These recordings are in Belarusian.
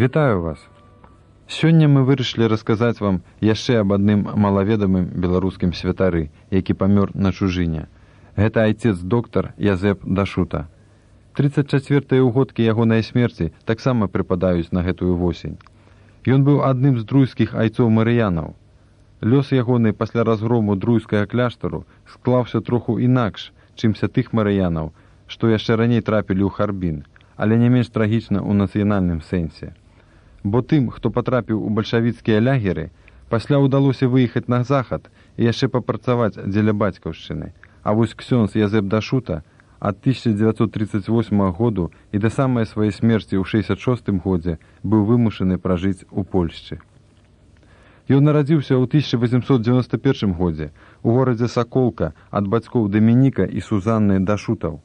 Вітаю вас! Сёння мы вырашылі расказаць вам яшчэ аб адным малаведамым беларускім святары, які памёр на чужыне. Гэта айцец-доктар Язэп Дашута. 34-е ўгодкі ягонай смерці таксама прыпадаюць на гэтую восень. Ён быў адным з друйскіх айцоў марыянаў. Лёс ягоны пасля разгрому друйскага кляштару склаўся троху інакш, чымся тых марыянаў, што яшчэ раней трапілі ў Харбін, але не менш трагічна ў нацыянальным сэнсе. Бо тым, хто патрапіў у бальшавіцкія лягеры, пасля ўдалося выехаць на захад і яшчэ папрацаваць дзеля бацькаўшчыны. А вось ксёндз Язэп Дашута ад 1938 году і да самай сваёй смерці ў 66 годзе быў вымушаны пражыць у Польшчы. Ён нарадзіўся ў 1891 годзе у горадзе Саколка ад бацькоў Дамініка і Сузанны Дашутаў.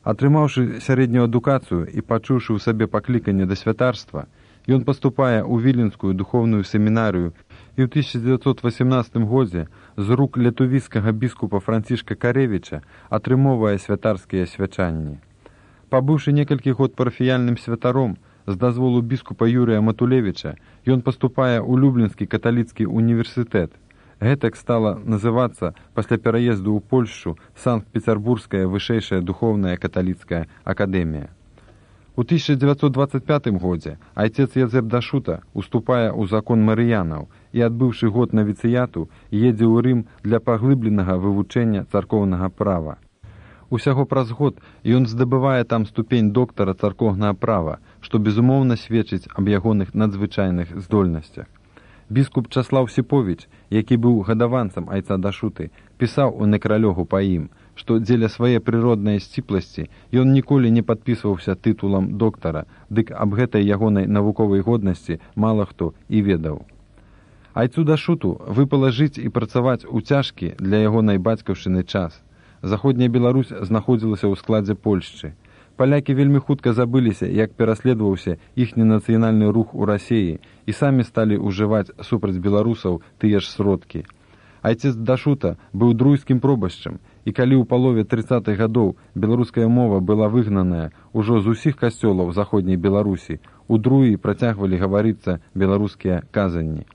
Атрымаўшы сярэднюю адукацыю і пачуўшы ў сабе пакліканне да святарства, ён паступае ў віленскую духоўную семінарыю і ў 1918 годзе з рук летувійскага біскупа Францішка Каревіча атрымоўвае святарскія свячанні. Пабыўшы некалькі год парафіяльным святаром, з дазволу біскупа Юрыя Матулевіча, ён паступае ў Люблінскі каталіцкі універсітэт. Гэтак стала называцца пасля пераезду ў Польшчу Санкт-Пецярбургская вышэйшая духоўная каталіцкая акадэмія. У 1925 годзе айцец Язэп Дашута уступае ў закон марыянаў і, адбыўшы год навіцыяту, едзе ў Рым для паглыбленага вывучэння царкоўнага права. Усяго праз год ён здабывае там ступень доктара царкоўнага права, што безумоўна сведчыць аб ягоных надзвычайных здольнасцях. Біскуп Часлаў Сіповіч, які быў гадаванцам айца Дашуты, пісаў у некралёгу па ім, што дзеля свае прыроднай сціпласці ён ніколі не падпісваўся тытулам доктара, дык аб гэтай ягонай навуковай годнасці мала хто і ведаў. Айцу Дашуту выпала жыць і працаваць у цяжкі для ягонай бацькаўшчыны час. Заходняя Беларусь знаходзілася ў складзе Польшчы. Палякі вельмі хутка забыліся, як пераследаваўся іхні нацыянальны рух у Расіі і самі сталі ўжываць супраць беларусаў тыя ж сродкі. Айцец Дашута быў друйскім пробашчам, і калі ў палове 30-х гадоў беларуская мова была выгнаная ўжо з усіх касцёлаў заходняй Беларусі, у Друі працягвалі гаварыцца беларускія казанні.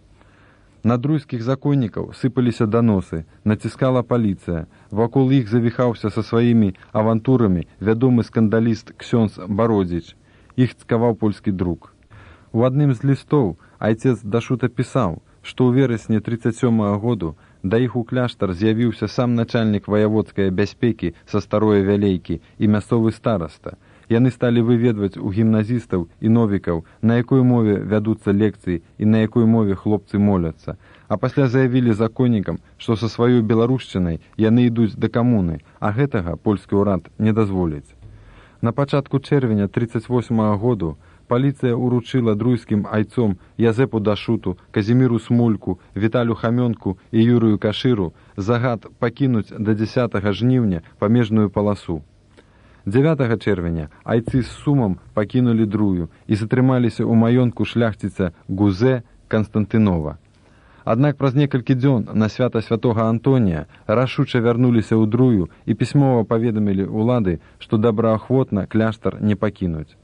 На друйскіх законнікаў сыпаліся даносы, націскала паліцыя, вакол іх завіхаўся са сваімі авантурамі вядомы скандаліст ксёндз Бародзіч, іх цкаваў польскі друк. У адным з лістоў айцец Дашута пісаў, што ў верасні 37-го году да іх у кляштар з'явіўся сам начальнік ваяводскай бяспекі са Старое Вялейкі і мясцовы стараста. Яны сталі выведваць у гімназістаў і новікаў, на якой мове вядуцца лекцыі і на якой мове хлопцы моляцца, а пасля заявілі законнікам, што са сваёй беларушчынай яны ідуць да камуны, а гэтага польскі ўрад не дазволіць. На пачатку чэрвеня 38-го году паліцыя ўручыла друйскім айцом Язэпу Дашуту, Казіміру Смульку, Віталю Хамёнку і Юрыю Кашыру загад пакінуць да 10 жніўня памежную паласу. 9 чэрвеня айцы з сумам пакінулі Друю і затрымаліся ў маёнтку шляхціца Гузе Канстантынова. Аднак праз некалькі дзён на свята святога Антонія рашуча вярнуліся ў Друю і пісьмова паведамілі ўлады, што добраахвотна кляштар не пакінуць.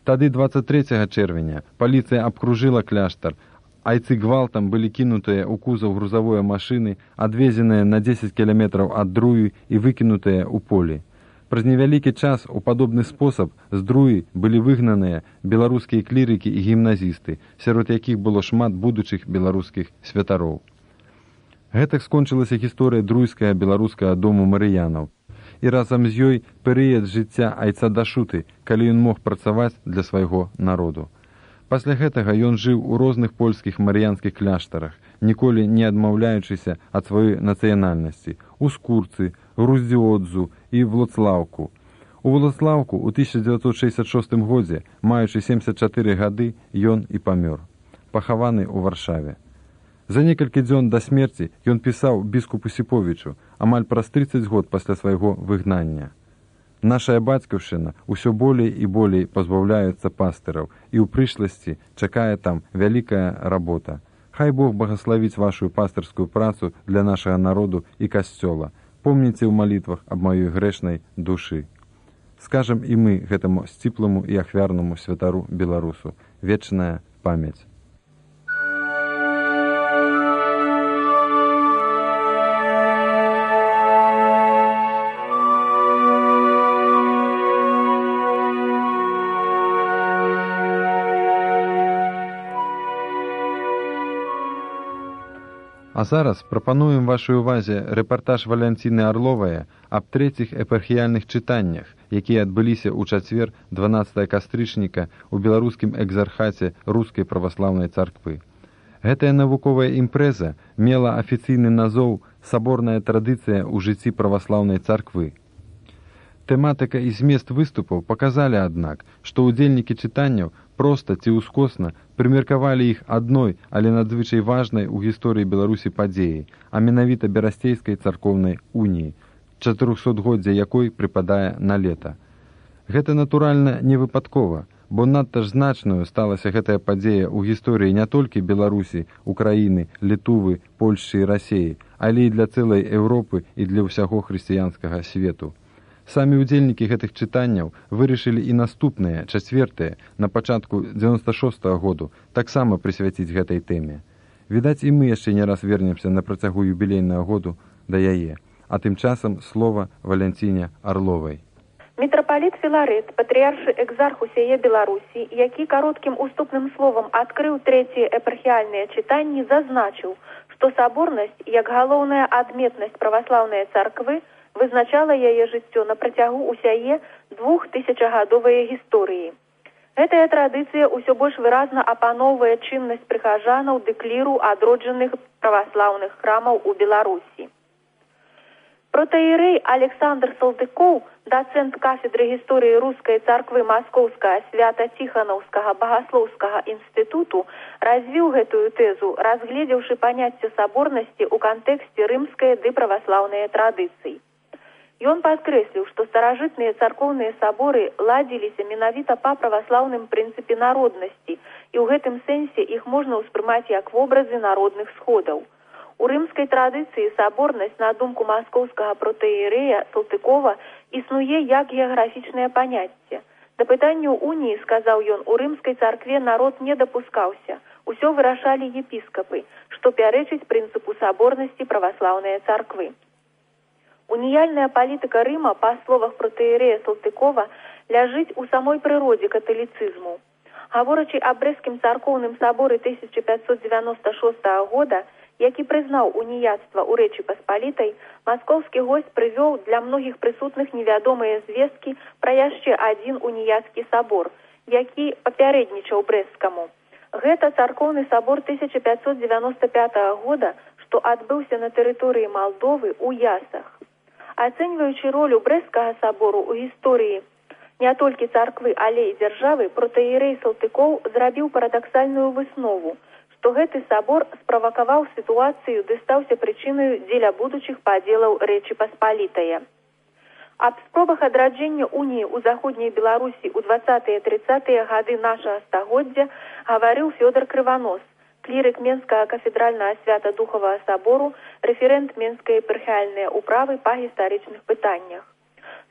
Тады 23 чэрвеня паліцыя абкружыла кляштар, айцы гвалтам былі кінутыя ў кузаў грузавой машыны, адвезеныя на 10 кіламетраў ад Друі і выкінутыя ў полі. Праз невялікі час у падобны спосаб з Друі былі выгнаныя беларускія клірыкі і гімназісты, сярод якіх было шмат будучых беларускіх святароў. Гэтак скончылася гісторыя друйскага беларускага дому марыянаў. І разам з ёй перыяд жыцця айца Дашуты, калі ён мог працаваць для свайго народу. Пасля гэтага ён жыў у розных польскіх марыянскіх кляштарах, ніколі не адмаўляючыся ад сваёй нацыянальнасці, у Скурцы, Груздзіодзу і Влоцлаўку. У Влоцлаўку ў 1966 годзе, маючы 74 гады, ён і памёр, пахаваны ў Варшаве. За некалькі дзён да смерці ён пісаў біскупу Сіповічу, амаль праз 30 год пасля свайго выгнання. Нашая бацькаўшчына ўсё болей і болей пазбаўляецца пастыраў, і ў прышласці чакае там вялікая работа. Хай Бог благословіць вашу пастырскую працу для нашага народу і касцёла. Помніце ў малітвах аб маёй грэшнай душы. Скажам і мы гэтаму сціпламу і ахвярнаму святару беларусу. вечная памяць. А зараз прапануем вашай увазе рэпартаж Валянціны Арловае аб трэціх эпархіяльных чытаннях, якія адбыліся ў чацвер 12 кастрычніка ў беларускім экзархаце Рускай праваслаўнай царквы. Гэтая навуковая імпрэза мела афіцыйны назоў «Саборная традыцыя ў жыцці праваслаўнай царквы». Тэматыка і змест выступаў паказалі, аднак, што ўдзельнікі чытанняў проста ці ўскосна прымеркавалі іх адной, але надзвычай важнай у гісторыі Беларусі падзеі, а менавіта Берасцейскай царкоўнай уніі, 400годдзя якой прыпадае на лета. Гэта, натуральна, не выпадкова, бо надта ж значнаю сталася гэтая падзея ў гісторыі не толькі Беларусі, Украіны, Літувы, Польшчы і Расеі, але і для цэлай Еўропы і для ўсяго хрысціянскага свету. Самі ўдзельнікі гэтых чытанняў вырашылі і наступныя, чацвертыя, на пачатку 96-го году, таксама прысвяціць гэтай тэме. Відаць, і мы яшчэ не раз вернемся на працягу юбілейнага году да яе. А тым часам слова Валянціне Арловай. Мітрапаліт Філарет, патрыяршы экзарх усяе Беларусі, які кароткім уступным словам адкрыў трэція епархіяльныя чытанні, зазначыў, што саборнасць, як галоўная адметнасць праваслаўнай царквы, вызначала яе жыццё на працягу усяе 2000гадовай гісторыі. Гэтая традыцыя ўсё больш выразна апаноўвае чыннасць прыхажанаў ды кліру адроджаных праваслаўных храмаў у Беларусі. Протаірэй Александр Салтыкоў, дацэнт кафедры гісторыі Рускай царквы Маскоўскага Свята-Ціханаўскага багаслоўскага інстытуту, развіў гэтую тэзу, разгледзеўшы паняцце саборнасці ў кантэксце рымскай ды праваслаўнай традыцыі. Ён падкрэсліў, што старажытныя царкоўныя саборы ладзіліся менавіта па праваслаўным прынцыпе народнасці, і ў гэтым сэнсе іх можна ўспрымаць як вобразы народных сходаў. У рымскай традыцыі саборнасць, на думку маскоўскага протаірэя Салтыкова, існуе як геаграфічнае паняцце. Да пытанняў уніі, сказаў ён, у рымскай царкве народ не дапускаўся, усё вырашалі епіскапы, што пярэчыць прынцыпу саборнасці праваслаўнай царквы. Уніяльная палітыка Рыма, па словах протаірэя Салтыкова, ляжыць у самой прыродзе каталіцызму. Гаворачы аб Брэсцкім царкоўным саборы 1596 года, які прызнаў уніяцтва ў Рэчы Паспалітай, маскоўскі госць прывёў для многіх прысутных невядомыя звесткі пра яшчэ адзін уніяцкі сабор, які папярэднічаў Брэсцкаму. Гэта царкоўны сабор 1595 года, што адбыўся на тэрыторыі Малдовы ў Ясах. Ацэньваючы ролю Брэсцкага сабору ў гісторыі не толькі царквы, але і дзяржавы, протаірэй Салтыкоў зрабіў парадаксальную выснову, што гэты сабор справакаваў сітуацыю, ды стаўся прычынаю дзеля будучых падзелаў Рэчы Паспалітае. Аб спробах адраджэння уніі ў заходняй Беларусі ў 20-30 гады нашага стагоддзя гаварыў Фёдор Крыванос, клірык Менскага кафедральнага свята-духавага сабору, рэферэнт Менскай епархіяльнай управы па гістарычных пытаннях.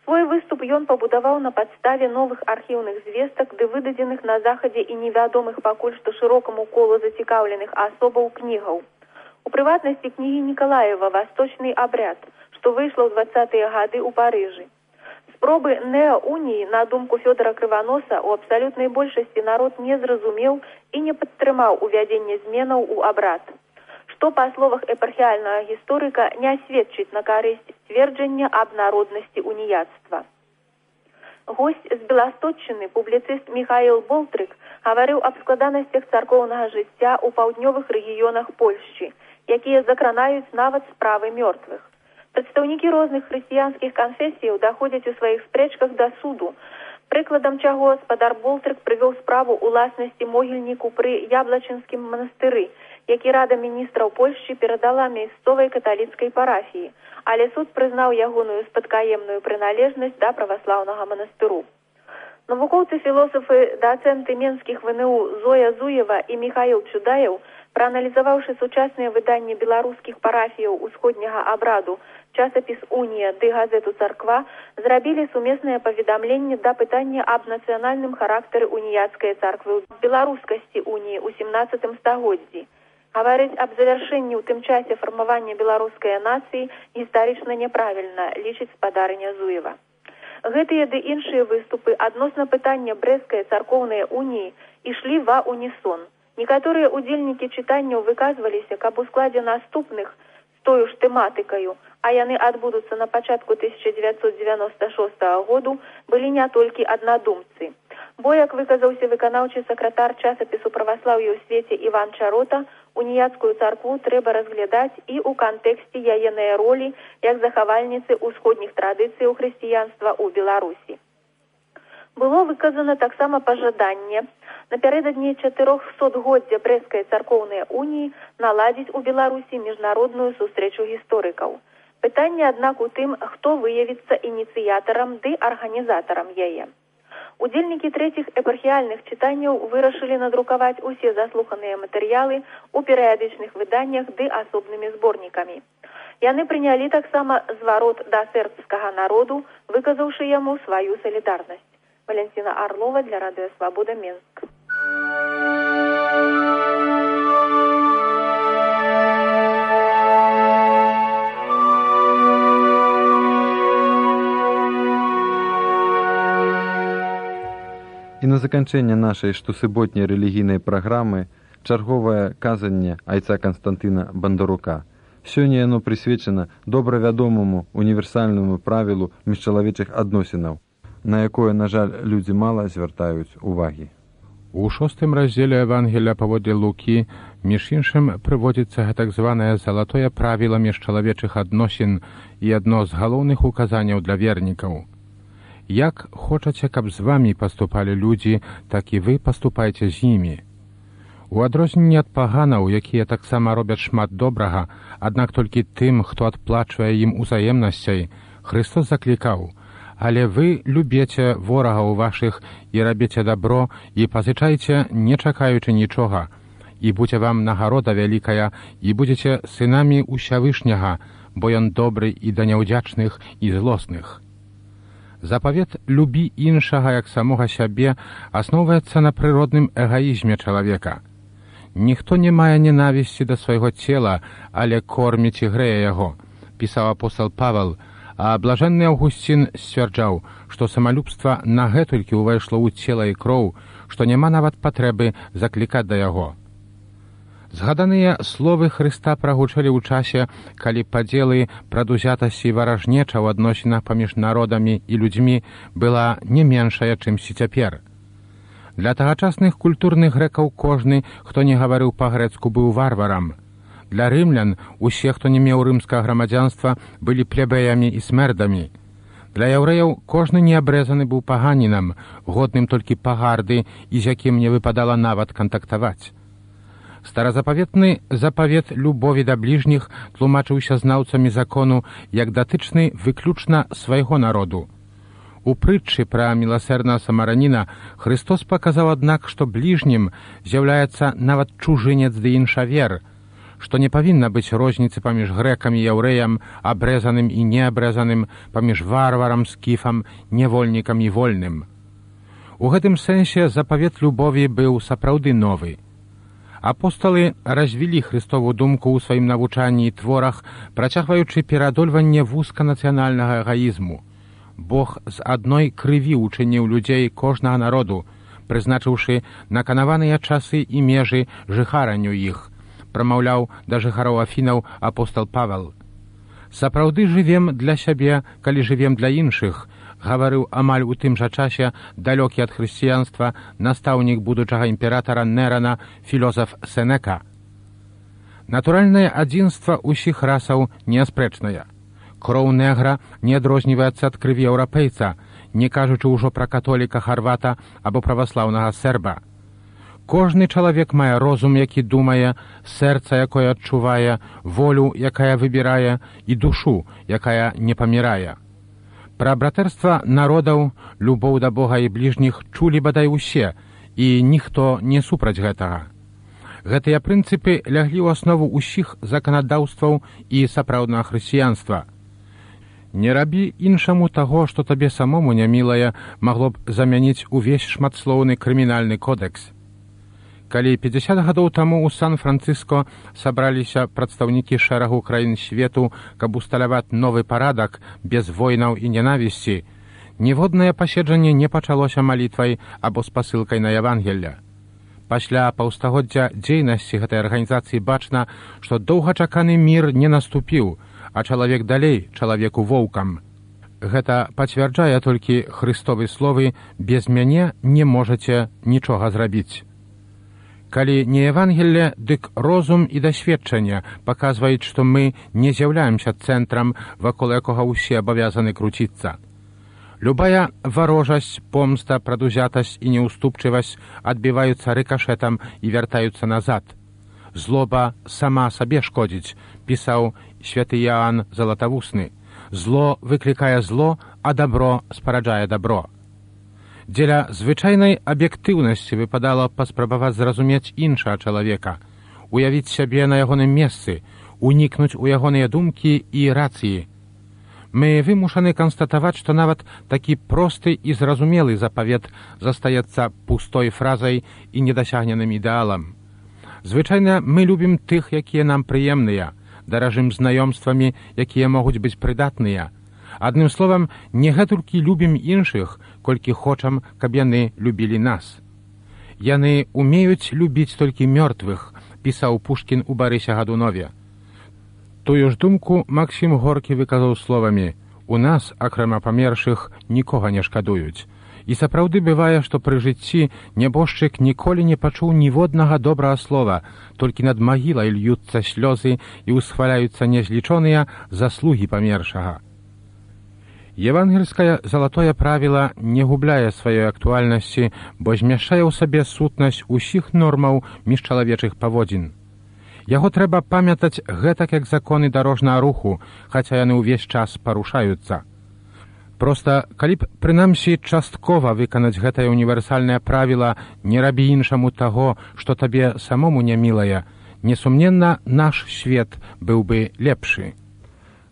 Свой выступ ён пабудаваў на падставе новых архіўных звестак, ды выдадзеных на захадзе і невядомых пакуль што шырокаму колу зацікаўленых асобаў кнігаў. У прыватнасці кнігі Нікалаева «Васточны абряд», што выйшла ў 20-е гады ў Парыжы. Спробы неауніі, на думку Фёдора Крываноса, у абсалютнай большасці народ не зразумеў і не падтрымаў увядзенне зменаў у абрад, што, па словах епархіяльнага гісторыка, не сведчыць на карысць сцверджання аб народнасці уніяцтва. Госць з Беласточчыны, публіцыст Міхаіл Болтрык, гаварыў аб складанасцях царкоўнага жыцця ў паўднёвых рэгіёнах Польшчы, якія закранаюць нават справы мёртвых. Прадстаўнікі розных хрысціянскіх канфесіяў даходзяць у сваіх спрэчках да суду, прыкладам чаго спадар Болтрык прывёў справу уласнасці могільніку пры Яблачынскім манастыры, які рада міністраў Польшчы перадала мясцовай каталіцкай парафіі, але суд прызнаў ягоную спадкаемную прыналежнасць да праваслаўнага манастыру. Навукоўцы-філосафы, дацэнты менскіх ВНУ Зоя Зуева і Міхаіл Чудаеў Прааналізаваўшы сучасныя выданні беларускіх парафіяў усходняга абраду, часапіс «Унія» ды газету «Царква» зрабілі сумеснае паведамленне да пытання аб нацыянальным характары уніяцкай царквы ў беларускасці уніі ў 17 стагоддзі. Гаварыць аб завяршэнні ў тым часе фармавання беларускай нацыі гістарычна няправільна, лічыць спадарыня Зуева. Гэтыя ды іншыя выступы адносна пытання брэсцкай царкоўнай уніі ішлі ва унісон. Некаторыя удзельнікі чытанняў выказваліся, каб у складзе наступных з тою ж тэматыкаю, а яны адбудуцца на пачатку 1996 году, былі не толькі аднадумцы. Бо, як выказаўся выканаўчы сакратар часапісу праваслаўя ў свеце Іван Чарота, уніяцкую царкву трэба разглядаць і ў кантэксце яеннай ролі як захавальніцы ўсходніх традыцыяў хрысціянства ў Беларусі. Было выказана таксама пажаданне напярэдадні 400-годдзя брэсцкай царкоўнай уніі наладзіць у Беларусі міжнародную сустрэчу гісторыкаў. Пытанне, аднак, у тым, хто выявіцца ініцыятарам ды арганізатарам яе. Удзельнікі трэціх эпархіяльных чытанняў вырашылі надрукаваць усе заслуханыя матэрыялы ў перыядычных выданнях ды асобнымі зборнікамі. Яны прынялі таксама зварот да сербскага народу, выказаўшы яму сваю салідарнасць. Валентина Орлова для Радио Свобода, Минск. І на заканчэнне нашай штосуботняй рэлігійнай праграмы чарговае казанне айца Канстантына Бандарука. Сёння яно прысвечана добра вядомаму універсальнаму правілу міжчалавечых адносінаў, на якое, на жаль, людзі мала звяртаюць увагі. У 6 раздзеле Евангелія паводле Лукі, між іншым, прыводзіцца гэтак званае залатое правіла міжчалавечых адносін і адно з галоўных указанняў для вернікаў. Як хочаце, каб з вамі паступалі людзі, так і вы паступайце з імі. У адрозненне ад паганаў, якія таксама робяць шмат добрага, аднак толькі тым, хто адплачвае ім узаемнасцяй, Христос заклікаў: «Але вы любеце ворагаў вашых і рабіце дабро, і пазычайце, не чакаючы нічога, і будзе вам нагарода вялікая, і будзеце сынамі Усявышняга, бо ён добры і да няўдзячных і злосных». Запавет «любі іншага як самога сябе» асноўваецца на прыродным эгаізме чалавека. «Ніхто не мае ненавісці да свайго цела, але корміць і грэе яго», пісаў апостол Павел, а блажэнны Аўгусцін сцвярджаў, што самалюбства нагэтулькі ўвайшло ў цела і кроў, што няма нават патрэбы заклікаць да яго. Згаданыя словы Хрыста прагучэлі ў часе, калі падзелы, прадузятасці і варажнеча ў адносінах паміж народамі і людзьмі была не меншая, чымсьці цяпер. Для тагачасных культурных грэкаў кожны, хто не гаварыў па-грэцку, быў варварам. Для рымлян усе, хто не меў рымскага грамадзянства, былі плебеямі і смердамі. Для яўрэяў кожны неабрэзаны быў паганінам, годным толькі пагарды і з якім не выпадала нават кантактаваць. Старазапаветны запавет любові да бліжніх тлумачыўся знаўцамі закону як датычны выключна свайго народу. У прытчы пра міласэрнага самараніна Христос паказаў, аднак, што бліжнім з'яўляецца нават чужынец ды іншавер, што не павінна быць розніцы паміж грэкам і яўрэям, абрэзаным і неабрэзаным, паміж варварам, скіфам, нявольнікам і вольным. У гэтым сэнсе запавет любові быў сапраўды новы. Апосталы развілі Христову думку ў сваім навучанні і творах, працягваючы пераадольванне вузканацыянальнага эгаізму. Бог з адной крыві учыніў людзей кожнага народу, прызначыўшы наканаваныя часы і межы жыхаранню іх, прамаўляў да жыхароў Афінаў апостол Павел. «Сапраўды жывем для сябе, калі жывем для іншых», гаварыў амаль у тым жа часе далёкі ад хрысціянства настаўнік будучага імператара Нерана філозаф Сенека. Натуральнае адзінства ўсіх расаў неаспрэчнае. Кроў негра не адрозніваецца ад крыві еўрапейца, не кажучы ўжо пра католіка харвата або праваслаўнага серба. Кожны чалавек мае розум, які думае, сэрца, якое адчувае, волю, якая выбірае, і душу, якая не памірае. Пра братэрства народаў, любоў да Бога і бліжніх чулі бадай усе, і ніхто не супраць гэтага. Гэтыя прынцыпы ляглі ў аснову ўсіх заканадаўстваў і сапраўднага хрысціянства. Не рабі іншаму таго, што табе самому нямілае, магло б замяніць увесь шматслоўны крымінальны кодэкс. Калі 50 гадоў таму ў Сан-Францыско сабраліся прадстаўнікі шэрагу краін свету, каб усталяваць новы парадак без войнаў і ненавісці, ніводнае паседжанне не пачалося малітвай або спасылкай на Евангелля. Пасля паўстагоддзя дзейнасці гэтай арганізацыі бачна, што доўгачаканы мір не наступіў, а чалавек далей чалавеку воўкам. Гэта пацвярджае толькі Хрыстовы словы «Без мяне не можаце нічога зрабіць». Калі не Евангелле, дык розум і дасведчанне паказваюць, што мы не з'яўляемся цэнтрам, вакол якога ўсе абавязаны круціцца. Любая варожасць, помста, прадузятасць і неўступчывасць адбіваюцца рыкашэтам і вяртаюцца назад. Злоба сама сабе шкодзіць, пісаў святы Іоанн Залатавусны. Зло выклікае зло, а дабро спараджае дабро. Дзеля звычайнай аб'ектыўнасці выпадала паспрабаваць зразумець іншага чалавека, уявіць сябе на ягоным месцы, унікнуць у ягоныя думкі і рацыі. Мы вымушаны канстатаваць, што нават такі просты і зразумелы запавет застаецца пустой фразай і недасягненым ідэалам. Звычайна мы любім тых, якія нам прыемныя, даражым знаёмствамі, якія могуць быць прыдатныя. Адным словам, не гэтулькі любім іншых, колькі хочам, каб яны любілі нас. Яны умеюць любіць толькі мёртвых, пісаў Пушкін у Барысе Гадунове. Тую ж думку Максім Горкі выказаў словамі: «У нас, акрамя памершых, нікога не шкадуюць». І сапраўды бывае, што пры жыцці нябожчык ніколі не пачуў ніводнага добрага слова, толькі над магілай льюцца слёзы і ўсхваляюцца незлічоныя заслугі памершага. Евангельскае залатое правіла не губляе сваёй актуальнасці, бо змяшчае ў сабе сутнасць усіх нормаў міжчалавечых паводзін. Яго трэба памятаць гэтак, як законы дарожнага руху, хаця яны ўвесь час парушаюцца. Проста, калі б, прынамсі, часткова выканаць гэтае універсальнае правіла «не рабі іншаму таго, што табе самому нямілае», несумненна, наш свет быў бы лепшы.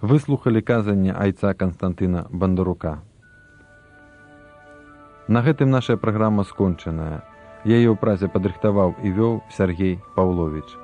Выслухалі казанне айца Канстантына Бандарука. На гэтым наша праграма скончаная. Яе ў празе падрыхтаваў і вёў Сергей Паўловіч.